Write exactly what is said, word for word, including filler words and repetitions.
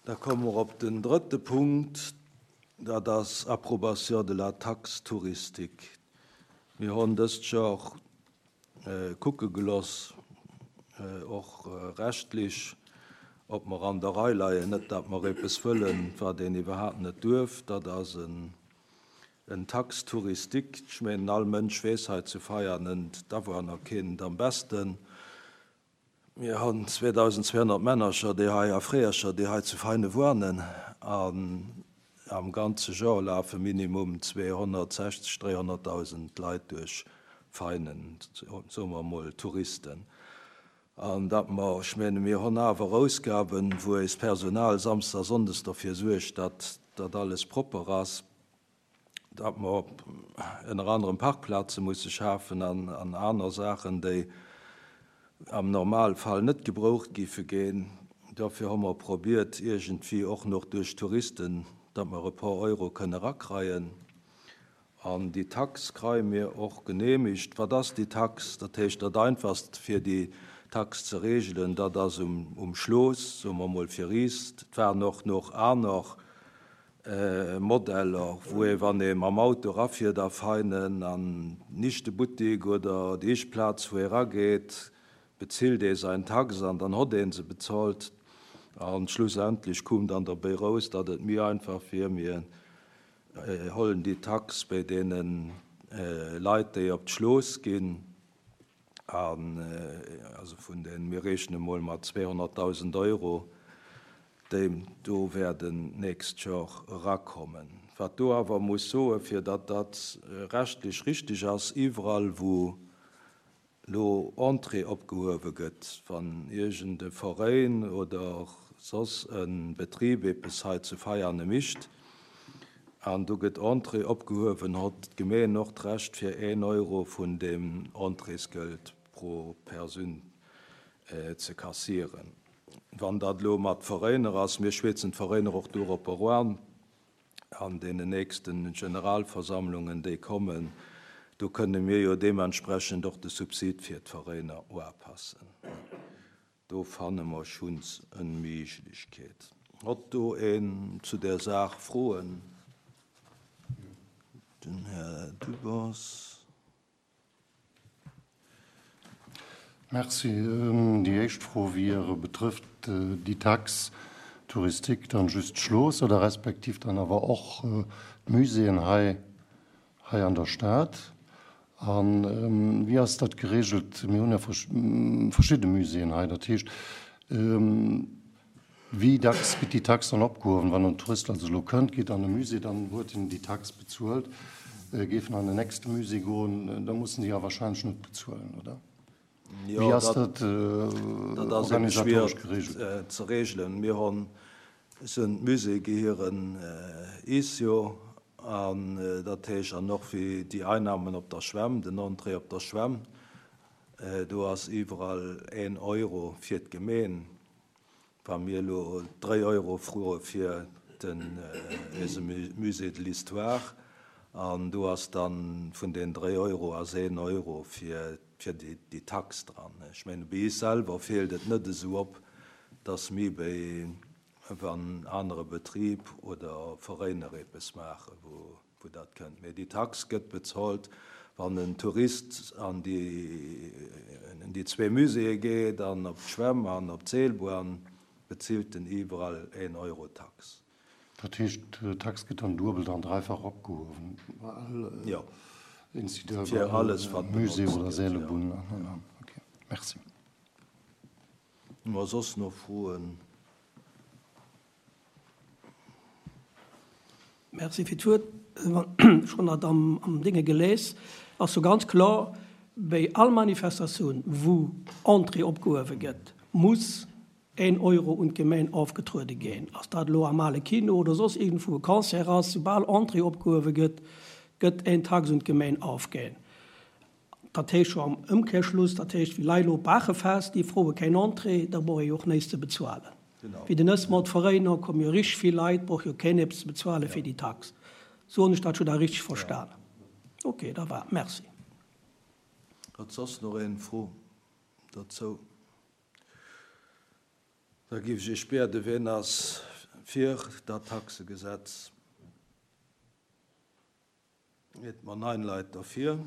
Da komme mer op den drëtte Punkt, dat ass Approbation de la taxe touristique. Mir hunn dëst Joer kucke geloss, och rechtlech, ob mer an der Rei leien, net datt mer eppes wëllen, wat een iwwerhaapt net duerf. Dat ass en en Taxe touristique. Ech mengen, all Mënsch weess hei zu Veianen, d'Awunner kennen et am besten. Mir hunn zweedausendzweehonnert Männercher, déi hei, a Freeërcher, déi hei zu Veine wuanen, an am ganze Joer lafe minimum zweehonnertsechzeg, dréihonnertdausend Leit duerch Veinen, soe mer emol Touristen. An datt mer, ech menge mir hunn awer Ausgaben, wou eist Personal samsdes a sonndes derfir suergt, datt dat alles propper ass, datt mer ënner anerem Parkplaze musse schafen an aner Saachen, déi am Normalfall net gebroucht géife ginn. Dofir hu mer probiert, iergendwéi och nach duerch Touristen, datt mer e puer Euro kënne rakreien. An déi Tax kreie mir och genehmigt. Wat ass déi Tax? Dat heescht, dat Einfachst, fir déi Tax ze regelen, dat ass um Schloss, soe mer emol fir is. Et waren och nach aner Modeller, wou ee, wann ee mam Auto erafiert a Veinen an d'nichte Buttik oder déi éischt Plaz, wou ee erageet, bezilt ee säin Tax an dann hott ee se bezolt. A schlussendlech koum dann derbäi raus, datt et méi einfach wier, mir hollen déi Tax bei deene Leit, déi op d'Schloss ginn, an also vun den, mir rechne mol mat zweehonnertdausend Euro, déi do wäerten d'nächst Joer erakommen. Wat do awer muss soen, fir datt dat rechtlech richtig ass, iwwerall wou lo Entrée opgehuewe gëtt, wann iergend e Veräin oder soss e Betrib eppes hei zu Veiane micht an do gëtt Entrée opgehuewen, hott d'Gemeen och d'Recht fir een Euro vun deem Entréesgeld pro Persoun ze kassieren. Wann dat elo mat Veräiner ass, mir schwätzen d'Veräiner och dorop eran an deenen nächsten Generalversammlungen, déi kommen, do kënne mir jo deementsprechend och de Subsid fir d'Veräiner upassen. Do fanne mer schonns eng Méiglechkeet. Hott do een zu der Saach Froen? Den Här Dubos. Merci. Déi éischt Fro wier, betrëfft déi Taxe touristique dann just d'Schloss oder respektiv dann awer och d'Muséeën hei, hei an der Stad? A wéi ass dat geregelt? Mir hunn ja verschidde Muséeën hei. Dat heescht, wéi dacks gëtt déi Tax dann opgehuewen? Wann en Tourist also elo kënnt, geet an e Musée, dann huet en déi Tax bezuelt. Géif en an den nächste Musée goen, da muss en déi ja wahrscheinlech net bezuelen, oder? Wéi ass dat organisatoresch geregelt? Ze regelen. Mir hunn sinn d'Muséeë gehieren is jo, an dat heescht an och wéi déi Einnahmen op der Schwämm, den Entrée op der Schwämm, do ass iwwerall een Euro fir d'Gemeen. Wa mir elo dréi Euro froe fir den eise Musée de l'Histoire, an do ass dann vun den dréi Euro ass een Euro fir fir déi Tax dran. Ech mengen, bei is selwer feelt et net esou op, dass mir bei wann anere Betrib oder Veräiner eppes maachen, wou wou dat kënnt. Mee déi Tax gëtt bezolt, wann en Tourist an déi in déi zwee Muséeë geet an op d'Schwämm an op d'Seelbahn, bezilt en iwwerall een Euro Tax. Dat heescht, d'Tax gëtt dann duebelt an dräifach opgehuewen bei all Jo, Institut, fir bei all alles, wat Musée benotzt oder gëtt, jo. Seelebunn an, an, an. Okay, merci. Hu mer soss nach Froen? Merci fir d'Wuert. Ech hunn dat am Dénge geléist. Ass jo ganz kloer, bei all Manifestatioun, wou Entrée opgehuewe gëtt, muss een Euro un d'Gemeng ofgetruede ginn. Ass dat elo am Ale Kino oder soss iergendwou e Concert ass, soubal Entrée opgehuewe gëtt, gëtt een Tax un d'Gemeng ofginn. Dat heescht jo am Ëmkehrschluss, dat heescht, wéi Leit elo op Baachefest, déi froe keng Entrée, da brauch ee jo och näischt ze bezuelen. Wéi den Ësmort Veréiner komme jo richteg vill Leit, brauch jo keen eppes ze bezuele fir déi Tax. Sou hunn ech dat jo da richteg verstanen. Ok, da war. Merci. Huet soss nach een Fro dozou? Da géif ech Iech bieden, wien ass Fir dat Taxegesetz. Et mer neun Leit derfir.